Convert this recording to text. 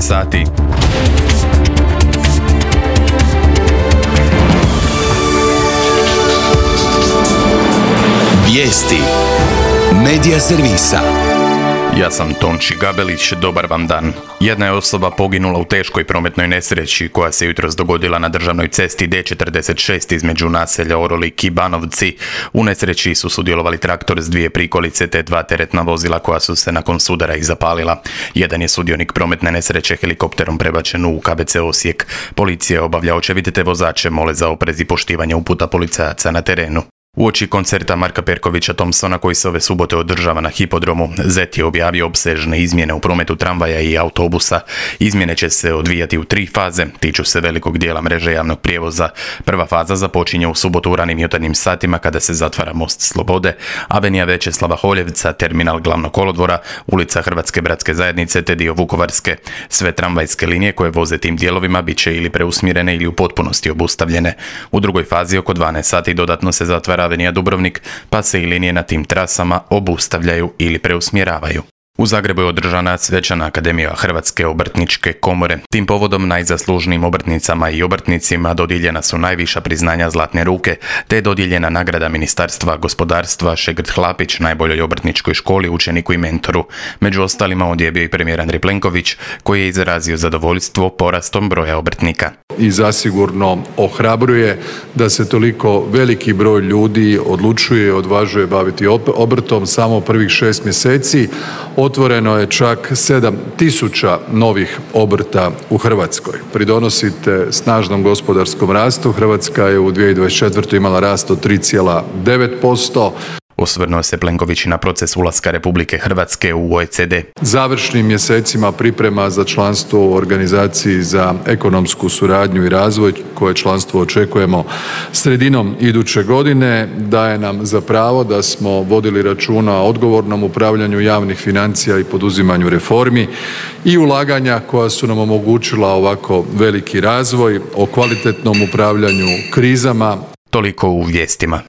sati. Vijesti Medija servisa. Ja sam Tonči Gabelić, dobar vam dan. Jedna je osoba poginula u teškoj prometnoj nesreći koja se jutros dogodila na državnoj cesti D46 između naselja Orolik i Banovci. U nesreći su sudjelovali traktor s 2 prikolice te 2 teretna vozila koja su se nakon sudara i zapalila. Jedan je sudionik prometne nesreće helikopterom prebačen u KBC Osijek. Policija obavlja očevid te vozače mole za oprez i poštivanje uputa policajaca na terenu. Uoči koncerta Marka Perkovića Thompsona koji se ove subote održava na hipodromu, ZET je objavio opsežne izmjene u prometu tramvaja i autobusa. Izmjene će se odvijati u 3 faze, tiču se velikog dijela mreže javnog prijevoza. Prva faza započinje u subotu u ranim jutarnjim satima kada se zatvara most Slobode, avenija Većeslava Holjevca, terminal Glavnog kolodvora, ulica Hrvatske bratske zajednice te dio Vukovarske. Sve tramvajske linije koje voze tim dijelovima bit će ili preusmjerene ili u potpunosti obustavljene. U drugoj fazi oko 12 sati dodatno se zatvara avenija Dubrovnik, pa se i linije na tim trasama obustavljaju ili preusmjeravaju. U Zagrebu je održana svečana Akademija Hrvatske obrtničke komore. Tim povodom najzaslužnijim obrtnicama i obrtnicima dodijeljena su najviša priznanja Zlatne ruke, te je dodijeljena nagrada Ministarstva gospodarstva Šegrt Hlapić najboljoj obrtničkoj školi, učeniku i mentoru. Među ostalima ovdje je bio i premijer Andrej Plenković, koji je izrazio zadovoljstvo porastom broja obrtnika. I zasigurno ohrabruje da se toliko veliki broj ljudi odlučuje i odvažuje baviti obrtom. Samo prvih 6 mjeseci otvoreno je čak 7.000 novih obrta u Hrvatskoj. Pridonosite snažnom gospodarskom rastu. Hrvatska je u 2024. imala rast od 3,9%. Osvrnuo se Plenković na proces ulaska Republike Hrvatske u OECD. Završnim mjesecima priprema za članstvo u Organizaciji za ekonomsku suradnju i razvoj, koje članstvo očekujemo sredinom iduće godine, daje nam za pravo da smo vodili računa o odgovornom upravljanju javnih financija i poduzimanju reformi i ulaganja koja su nam omogućila ovako veliki razvoj, o kvalitetnom upravljanju krizama. Toliko u vijestima.